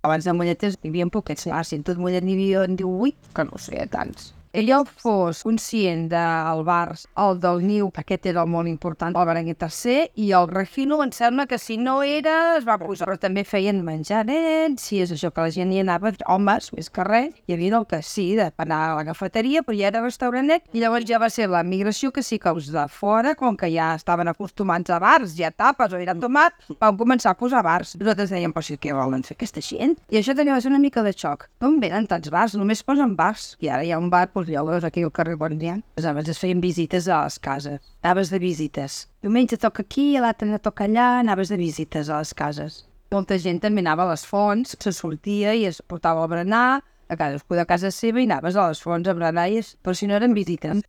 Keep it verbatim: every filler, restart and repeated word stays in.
Abans de Molleters hi havia poquets. Ah, si en tot Mollet n'hi havia divuit, que no sé, tants. Ella fos conscient del bar, el del Niu, aquest era el molt important, el Berenguer tercer, i el Regino em sembla que si no era, es va posar. Però també feien menjar nens, si és això que la gent hi anava, homes, més que res, hi havia el que sí, d'anar a la cafeteria, però ja era restaurantet, i llavors ja va ser la migració que sí que els de fora, com que ja estaven acostumats a bars, ja tapes o era tomat, van començar a posar bars. Nosaltres dèiem, però sí, què volen fer aquesta gent? I això també va ser una mica de xoc. D'on venen tants bars? Només posen bars. I ara hi ha un bar, doncs ja veus aquí al carrer Bondian. Abans es feien visites a les cases. Anaves de visites. Diumenge toca aquí, l'altre toca allà, anaves de visites a les cases. Molta gent també anava a les fonts, se sortia i es portava a berenar, a cadascú de casa seva i anaves a les fonts a berenar, però si no eren visites.